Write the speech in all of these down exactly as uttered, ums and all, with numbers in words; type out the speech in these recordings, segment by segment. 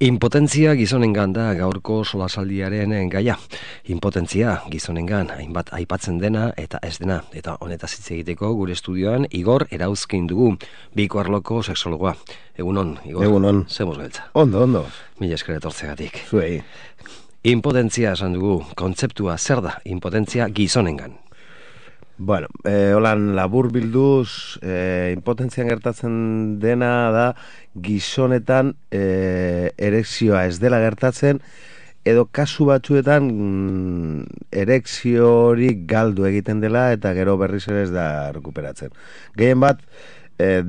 Impotentzia gizonengan da gaurko solasaldiaren gaia. Impotentzia gizonengan hainbat aipatzen dena eta ez dena. Eta honetaz hitz egiteko gure estudioan Igor Erauzkin dugu, biko arloko sexologoa. Egunon, Igor. Egunon. Zemuz gaitza. Ondo, ondo. Mila esker etortzegatik. Zuei. Impotentzia esan dugu, kontzeptua zer da impotentzia gizonengan? Bueno, eh, holan labur bilduz, eh, impotentzian gertatzen dena da gizonetan eh, erekzioa ez dela gertatzen, edo kasu batzuetan mm, erekzio hori galdu egiten dela eta gero berriz ere ez da rekuperatzen. Gehien bat, eh,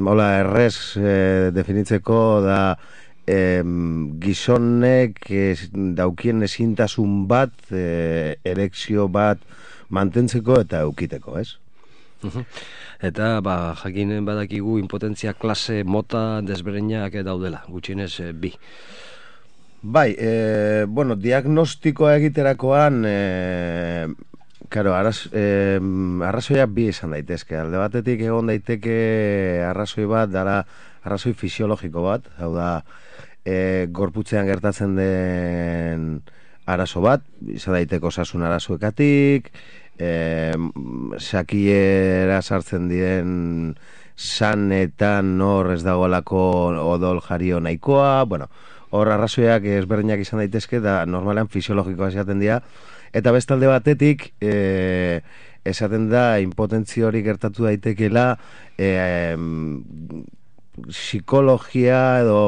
hola errez eh, definitzeko da eh, gizonek eh, daukien ezintasun bat, eh, erekzio bat, mantentzeko eta eukiteko, ez? Uh-huh. Eta, ba, jakinen badakigu impotentzia klase mota desberdinak daudela, gutxienez e, bi. Bai, e, bueno, diagnostikoa egiterakoan, e, karo, arraz, e, arrazoia bi izan daitezke. Alde batetik egon daiteke arrazoi bat, dara arrazoi fisiologiko bat, hau da, e, gorputzean gertatzen den arazo bat, izan daiteko osasun arazoekatik, E, sakiera sartzen diren sanetan hor ez dagoelako odol jario nahikoa, bueno, hor arrazoiak ezberdinak izan daitezke da normalean fisiologikoa esaten dira, eta bestalde batetik e, esaten da impotentzia hori gertatu daitekeela e, e, psikologia edo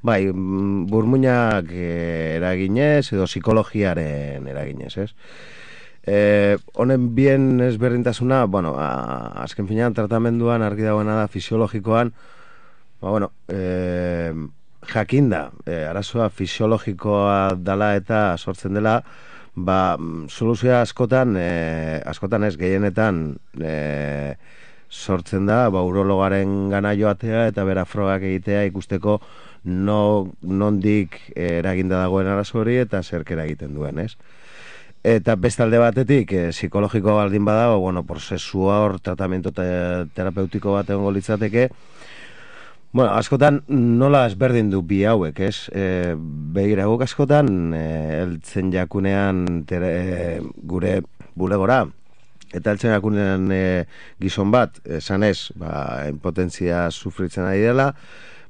bai, burmuinak eraginez edo psikologiaren eraginez, ez? Eh, honen bien ezberdintasuna, bueno, a, azken finean tratamenduan argi dagoena da fisiologikoan, ba, bueno, eh, jakinda, eh, arazoa fisiologikoa dela eta sortzen dela, ba, soluzioa askotan, eh, askotan ez gehienetan eh, sortzen da, ba, urologaren gana joatea eta bera frogak egitea ikusteko no, nondik eh, eraginda dagoen arazo hori eta zerk eragiten duen, ez? Eta bestalde batetik, e, psikologiko baldin bada, bueno, prozesua hor, tratamiento te, terapeutiko bat egongo litzateke. Bueno, askotan nola ezberdin du bi hauek, ez? E, Begira guk askotan, e, eltzen jakunean tere, e, gure bulegora, eta eltzen jakunean e, gizon bat, esan ez, ba, impotentzia sufritzen ari dela,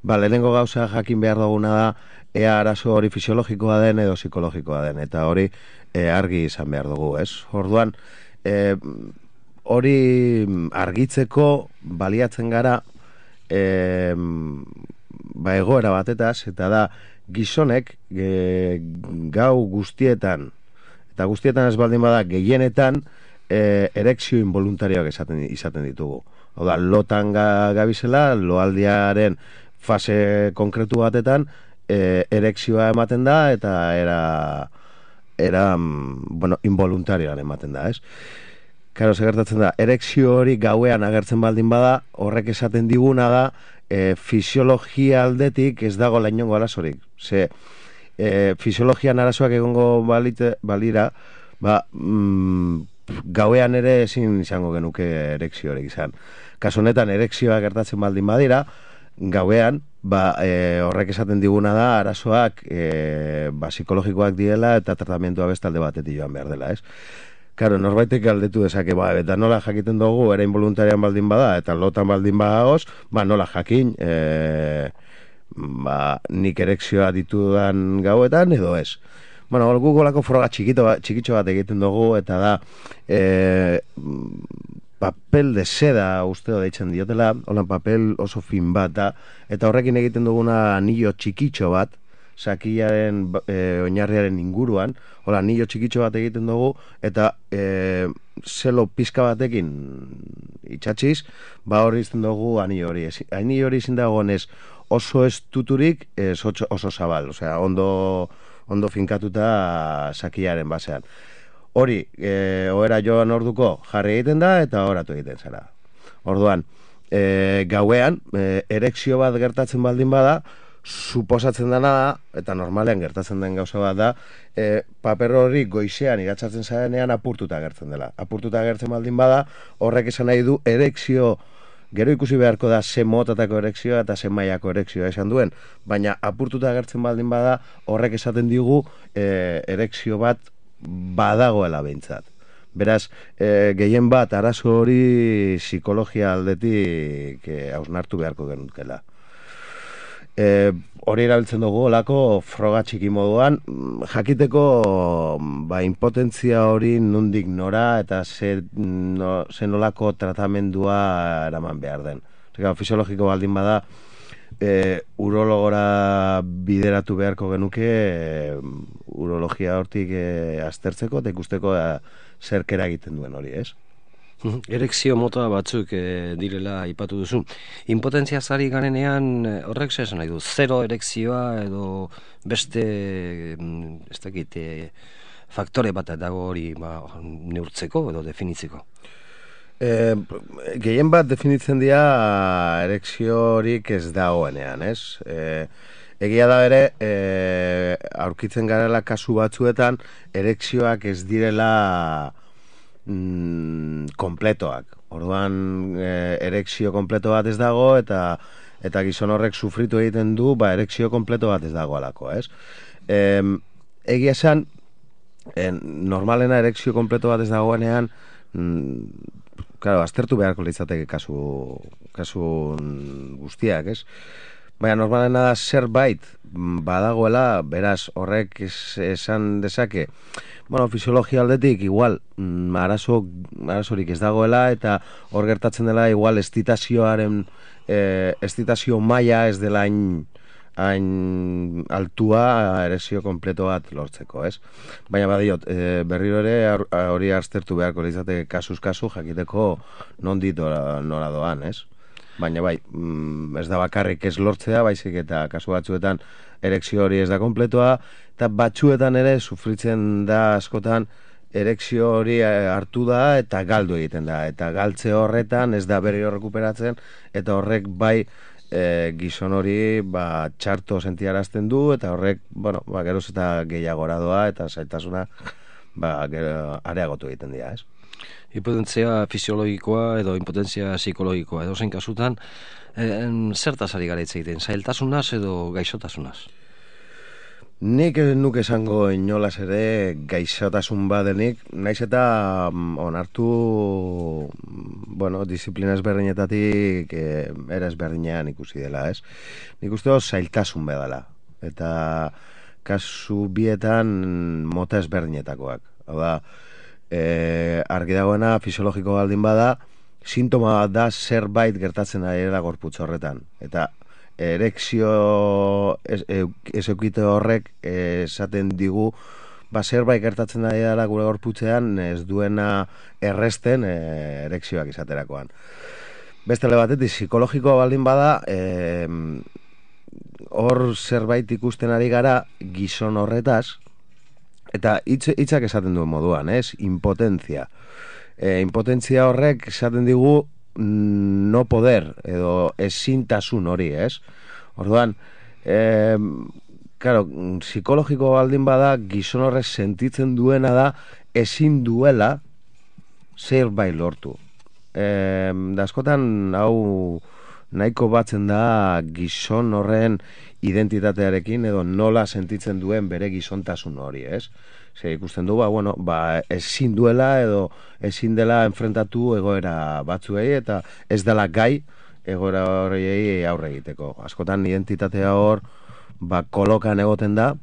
ba, lehenengo gauza jakin behar duguna da, ea arazo hori fisiologikoa den edo psikologikoa den, eta hori e, argi izan behar dugu, ez? Orduan, e, hori argitzeko baliatzen gara e, ba, egoera batetaz, eta da gizonek e, gau guztietan, eta guztietan ez baldin bada gehienetan e, erekzio involuntarioak izaten, izaten ditugu. Hau da, lotan ga, gabizela, loaldiaren fase konkretu batetan, E, erekzioa ematen da eta era, era bueno, involuntarioan ematen da, ez? Karo, segertatzen da, erekzio hori gauean agertzen baldin bada, horrek esaten diguna da, e, fisiologia aldetik ez dago lainongo arazorik. Ze, e, fisiologian arazoak egongo balite, balira, ba, mm, gauean ere ezin izango genuke erekzio hori izan. Kasu honetan, erekzioa gertatzen baldin badira, gauean, ba, e, horrek esaten diguna da arazoak e, ba, psikologikoak diela eta tratamentua bestalde batetik joan behar dela, ez? Karo, norbaitek galdetu dezake, ba, eta nola jakiten dugu, era involuntarian baldin bada, eta lotan baldin badagoz, ba, nola jakin, e, ba, nik erekzioa ditudan gauetan, edo ez. Bueno, gugolako froga txikito, txikitxo bat egiten dugu, eta da, e, papel de seda usteo deitzen diotela, holan papel oso fin bat da, eta horrekin egiten duguna anillo txikitxo bat, sakillaren e, oinarriaren inguruan, hola anillo txikitxo bat egiten dugu, eta e, zelo pizka batekin itxatxiz, ba hori izten dugu anillo hori. Anillo hori izin dagoenez oso estuturik, ez oso zabal, osea, ondo, ondo finkatuta sakillaren basean. Hori, e, ohera joan orduko jarri egiten da eta oratu egiten zara. Orduan, e, gauean, e, erekzio bat gertatzen baldin bada, suposatzen dena da, eta normalean gertatzen den gauza bat da, e, paper hori goizean igatzatzen zarenean apurtuta gertzen dela. Apurtuta gertzen baldin bada, horrek esan nahi du erekzio Gero ikusi beharko da ze motatako erekzioa eta ze mailako erekzioa esan duen, baina apurtuta agertzen baldin bada, horrek esaten digu e, erekzio bat badagoela behintzat. Beraz, e, gehien bat arazo hori psikologia aldetik e, hausnartu beharko genukela. E, hori erabiltzen dugu olako froga txiki moduan, jakiteko ba, impotentzia hori nondik nora eta ze, no, ze nolako tratamendua eraman behar den. Zeka, fisiologiko baldin bada, e, urologora bideratu beharko genuke e, urologia hortik e, aztertzeko eta ikusteko e, zerkera egiten duen hori, ez? Erekzio mota batzuk e, direla aipatu duzu. Impotentzia zari garenean horrek zer esan nahi du? Zero erekzioa edo beste ez dakit, e, faktore bat dago hori ba, neurtzeko edo definitzeko? E, gehien bat definitzen dira erekzio horik ez dagoenean, ez? E, egia da bere, e, aurkitzen garela kasu batzuetan, erekzioak ez direla mm, kompletoak. Orduan e, erekzio kompleto bat ez dago eta eta gizon horrek sufritu egiten du, ba erekzio kompleto bat ez dago alako, ez? E, egia esan, e, normalena erekzio kompleto bat ez dagoenean, mm, claro, aztertu beharko litzateke kasu, kasu guztiak, ez? Baina normalena da zerbait badagoela, beraz horrek es, esan dezake, bueno, fisiologia aldetik igual mm, arazo, arazorik ez dagoela eta hor gertatzen dela igual estitazioaren eh, estitazio maila ez dela hain hain altua erekzio kompleto bat lortzeko, ez? Baina badiot, e, berriro ere hori aztertu beharko litzateke kasuz kasu jakiteko nondik nora doan, ez? Baina bai, mm, ez da bakarrik ez lortzea, baizik eta kasu batzuetan erekzio hori ez da kompletoa, eta batzuetan ere sufritzen da askotan erekzio hori hartu da eta galdu egiten da, eta galtze horretan ez da berriro rekuperatzen, eta horrek bai e, gizon hori ba, txarto sentiarazten du, eta horrek, bueno, ba, geroz eta gehiagora doa, eta zaitasuna ba, gero, areagotu egiten dira, ez? Impotentzia fisiologikoa edo impotentzia psikologikoa edo zein kasutan, en, zertaz ari gara hitz egiten, zailtasunaz edo gaixotasunaz? Nik nuke esango inolaz ere gaixotasun badenik, naiz eta onartu, bueno, disiplina ezberdinetatik eh, era ezberdinean ikusi dela, ez? Nik uste dut zailtasun bedala, eta kasu bietan mota ezberdinetakoak. Hau da, e, argi dagoena fisiologiko baldin bada, sintoma bat da zerbait gertatzen ari da gorputz horretan. Eta erekzio ez, ez eukite horrek esaten digu ba zerbait gertatzen ari dela gure gorputzean ez duena erresten e, erekzioak izaterakoan. Beste batetik psikologikoa baldin bada, e, hor zerbait ikusten ari gara gizon horretaz, eta hitz, hitzak esaten duen moduan, ez? Impotentzia. E, impotentzia horrek esaten digu no poder, edo ezintasun hori, ez? Orduan, e, claro, psikologiko baldin bada, gizon horrek sentitzen duena da ezin duela zerbait lortu. E, da askotan, hau nahiko batzen da gizon horren identitatearekin edo nola sentitzen duen bere gizontasun hori, ez? Ze ikusten du, ba, bueno, ba, ezin duela edo ezin dela enfrentatu egoera batzuei eta ez dela gai egoera horiei aurre egiteko. Askotan identitatea hor, ba, kolokan egoten da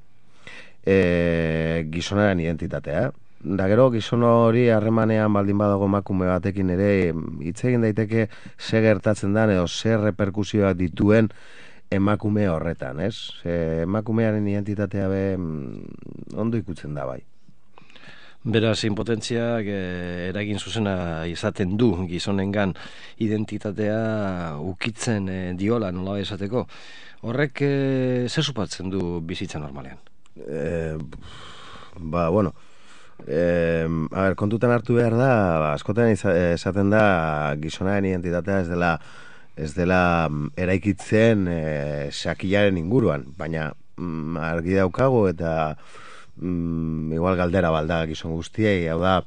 e, gizonaren identitatea. Da gero, gizon hori harremanean baldin badago emakume batekin ere hitz egin daiteke ze gertatzen den edo zer reperkusioak dituen emakume horretan, ez? Ze emakumearen identitatea be ondo ikutzen da bai. Beraz, impotentziak eh, eragin zuzena izaten du gizonengan identitatea ukitzen eh, diola nola esateko. Horrek eh, zer supatzen du bizitza normalean? Eh, ba, bueno, eh, a ber, kontutan hartu behar da, ba, askotan esaten da gizonaren identitatea ez dela ez dela eraikitzen e, sakilaren inguruan, baina mm, argi daukago eta mm, igual galdera balda gizon guztiei, hau da,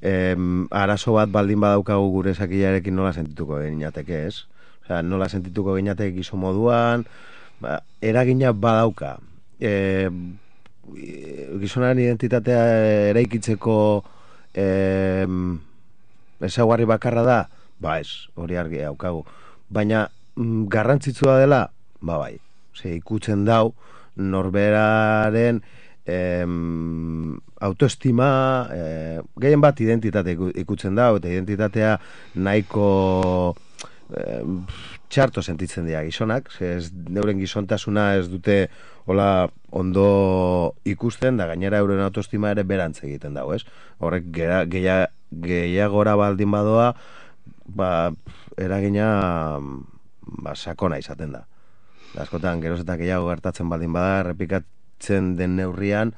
e, arazo bat baldin badaukagu gure sakilarekin nola sentituko ginateke, ez? Osea, nola sentituko gineatek gizon moduan, ba, eragina badauka. E, gizonaren identitatea eraikitzeko e, ezaugarri bakarra da, ba ez, hori argi daukagu. Baina mm, garrantzitsua dela, ba bai, ze ikutzen dau norberaren em, autoestima, eh, gehien bat identitate ikutzen dau, eta identitatea nahiko em, txarto sentitzen dira gizonak, ze ez, neuren gizontasuna ez dute hola ondo ikusten, da gainera euren autoestima ere berantz egiten dago, ez? Horrek gehiagora gehiagora baldin badoa, ba, eragina ba, sakona izaten da. Da, askotan, geroz eta gehiago gertatzen baldin bada, errepikatzen den neurrian,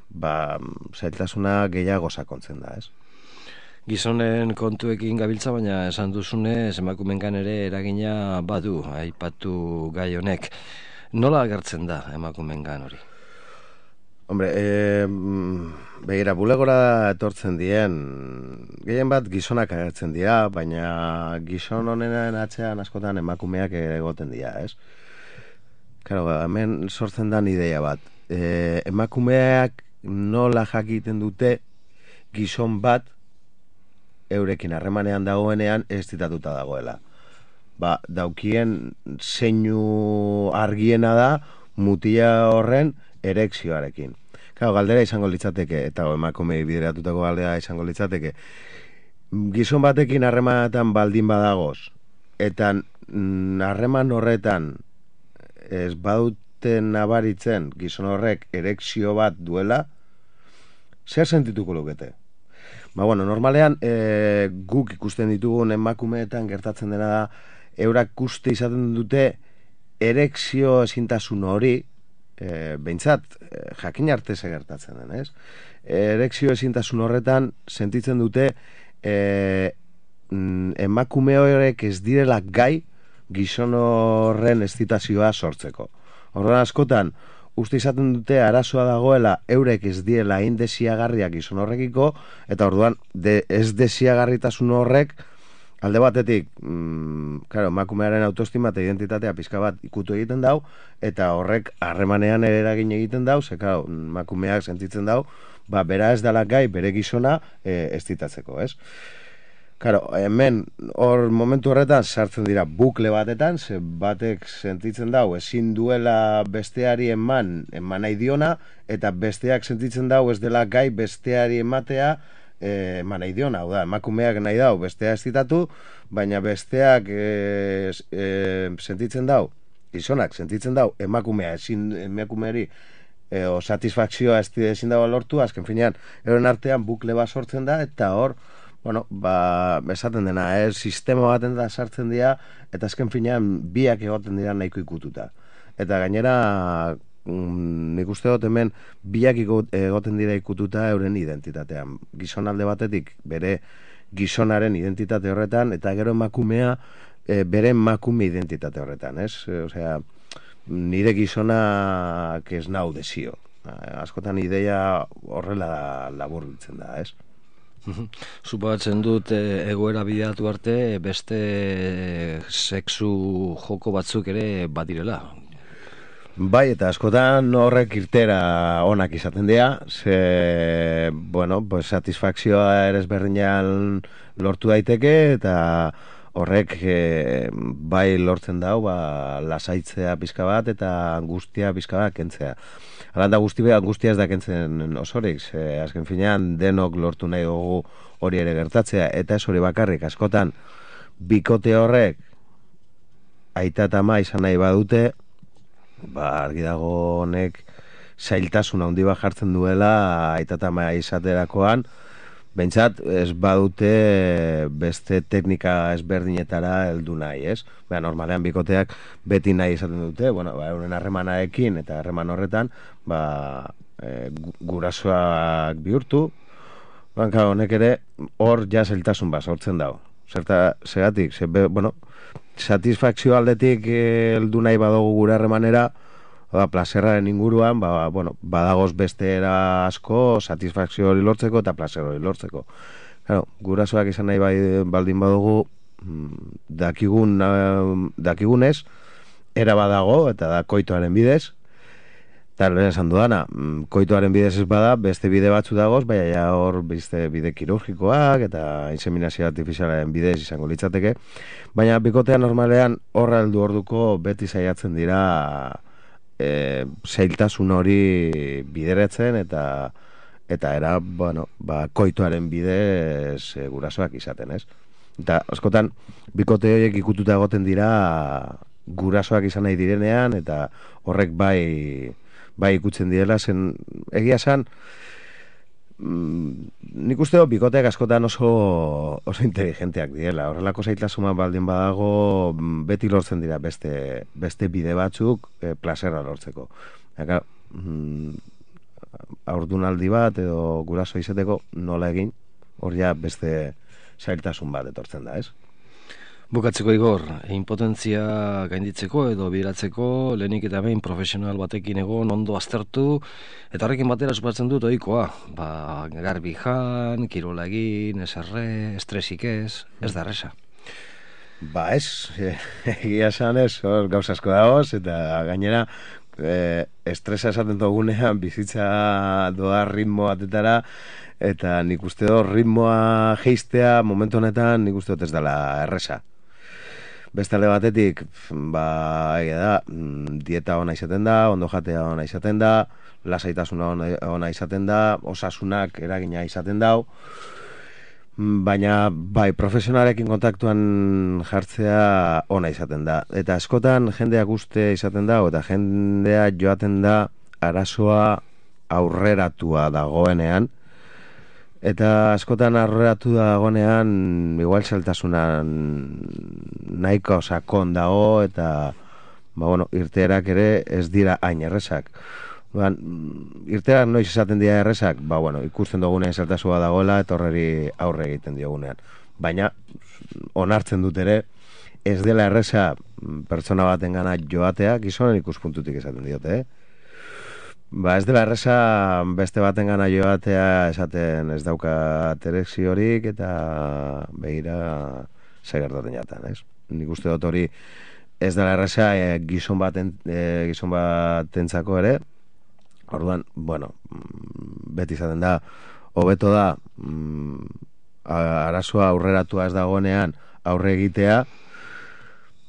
ba, zailtasuna gehiago sakontzen da, ez? Gizonen kontuekin gabiltza, baina esan duzune, emakumengan ere eragina badu, aipatu gai honek. Nola agertzen da emakumengan hori? Hombre, e, begira, bulegora etortzen dien, gehien bat gizonak agertzen dira, baina gizon honenen atzean askotan emakumeak egoten dira, ez? Claro, hemen sortzen da ideia bat. E, emakumeak nola jakiten dute gizon bat eurekin harremanean dagoenean ez ditatuta dagoela. Ba, daukien zeinu argiena da mutila horren erekzioarekin. Claro, galdera izango litzateke, eta emakume bideratutako galdera izango litzateke, gizon batekin harremanetan baldin badagoz, eta harreman horretan ez baduten nabaritzen gizon horrek erekzio bat duela, zer sentituko lukete? Ba, bueno, normalean e, guk ikusten ditugun emakumeetan gertatzen dena da, eurak uste izaten dute erekzio ezintasun hori, e, behintzat, e, jakin arte ze gertatzen den, ez? Erekzio ezintasun horretan sentitzen dute e, emakume horrek ez direla gai gizon horren estitazioa sortzeko. Horren askotan, uste izaten dute arazoa dagoela eurek ez diela hain desiagarriak gizon horrekiko, eta orduan de, ez desiagarritasun horrek alde batetik, mm, claro, emakumearen autoestima eta identitatea pizka bat ikutu egiten dau, eta horrek harremanean ere eragin egiten dau, ze claro, emakumeak sentitzen dau, ba, bera ez dela gai bere gizona e, estitatzeko, ez? Claro, hemen hor momentu horretan sartzen dira bukle batetan, ze batek sentitzen dau ezin duela besteari eman, eman nahi diona, eta besteak sentitzen dau ez dela gai besteari ematea eh, eman nahi diona. Hau da, emakumeak nahi dau bestea estitatu, baina besteak eh, eh, sentitzen dau, gizonak sentitzen dau emakumea ezin emakumeari eh, o satisfakzioa ezin dago lortu, azken finean, euren artean bukle bat sortzen da, eta hor bueno, ba, esaten dena, eh? Sistema baten da sartzen dira, eta azken finean biak egoten dira nahiko ikututa. Eta gainera, mm, nik uste dut hemen biak egoten dira ikututa euren identitatean. Gizon alde batetik bere gizonaren identitate horretan, eta gero emakumea e, bere emakume identitate horretan, ez? E, osea, nire gizonak ez nau desio. Askotan ideia horrela laburbiltzen da, ez? Suposatzen dut egoera bideatu arte beste sexu joko batzuk ere badirela. Bai, eta askotan horrek irtera onak izaten dira, ze, bueno, pues, satisfakzioa ere ezberdinan lortu daiteke, eta horrek e, bai lortzen dau, ba, lasaitzea pizka bat, eta angustia pizka bat kentzea. Alanda guztia, guztia ez da kentzen osorik, ze, azken finean denok lortu nahi dugu hori ere gertatzea, eta ez hori bakarrik, askotan bikote horrek aita eta ama izan nahi badute, ba, argi dago honek zailtasun handi bat jartzen duela aita eta ama izaterakoan, behintzat ez badute beste teknika ezberdinetara heldu nahi, ez? Ba, normalean bikoteak beti nahi izaten dute, bueno, ba, euren harremanarekin eta harreman horretan, ba, e, gurasoak bihurtu, banka honek ere hor ja zailtasun bat sortzen dago. Zerta, zeratik, ze, bueno, satisfakzio aldetik heldu nahi badugu gure harremanera, ba, plazerraren inguruan, ba, bueno, badagoz beste era asko satisfakzio hori lortzeko eta plazer hori lortzeko. Claro, gurasoak izan nahi bai, baldin badugu, dakigun, dakigunez, era badago, eta da koitoaren bidez, eta lehen esan dudana, koitoaren bidez ez bada, beste bide batzu dagoz, baina ja hor beste bide kirurgikoak, eta inseminazio artifizialaren bidez izango litzateke, baina bikotea normalean horra heldu orduko beti saiatzen dira e, zailtasun hori bideratzen, eta eta era, bueno, ba, koitoaren bidez e, gurasoak izaten, ez? Eta askotan, bikote horiek ikututa egoten dira gurasoak izan nahi direnean, eta horrek bai bai ikutzen direla, zen egia esan, mm, nik uste dut bikoteak askotan oso, oso inteligenteak direla. Horrelako zailtasuna baldin badago, beti lortzen dira beste, beste bide batzuk e, plazerra lortzeko. Eka, mm, haurdunaldi bat edo guraso izateko nola egin, hor ja beste zailtasun bat etortzen da, ez? Bukatzeko Igor, impotentzia gainditzeko edo bideratzeko lehenik eta behin profesional batekin egon ondo aztertu, eta horrekin batera supatzen dut ohikoa, ba, garbi jan, kirola egin, eserre, estresik ez, ez da erresa. Ba ez, egia esan ez, hor gauz asko dagoz, eta gainera e, estresa esaten dugunean bizitza doa ritmo batetara, eta nik uste dut ritmoa geistea momentu honetan nik uste dut ez dela erresa. Beste alde batetik, ba, egia da, dieta ona izaten da, ondo jatea ona izaten da, lasaitasuna ona izaten da, osasunak eragina izaten dau, baina bai, profesionalekin kontaktuan jartzea ona izaten da. Eta askotan jendeak uste izaten da, eta jendea joaten da arazoa aurreratua dagoenean, eta askotan aurreratu dagoenean igual saltasunan nahiko sakon dago, eta ba, bueno, irteerak ere ez dira hain errezak. Ba, irteerak noiz esaten dira errezak, ba, bueno, ikusten dugunean saltasua dagoela eta horreri aurre egiten diogunean. Baina onartzen dut ere ez dela erreza pertsona baten gana joatea, gizonen ikuspuntutik esaten diote, eh? Ba ez dela erreza beste baten gana joatea esaten ez dauka erekziorik eta behira segertaten jaten, ez? Nik uste dut hori ez dela erreza e, gizon baten e, gizon batentzako ere. Orduan, bueno, beti izaten da, hobeto da mm, arazoa aurreratua ez dagoenean aurre egitea,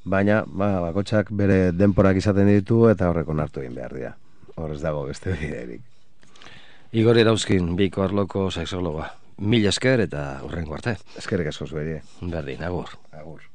baina ba, bakotxak bere denporak izaten ditu eta horrek onartu egin behar dira. Hor ez dago beste biderik. Igor Erauzkin, biko arloko sexologa. Mil esker eta hurrengo arte. Eskerrik asko zuerie. Berdin, agur. Agur.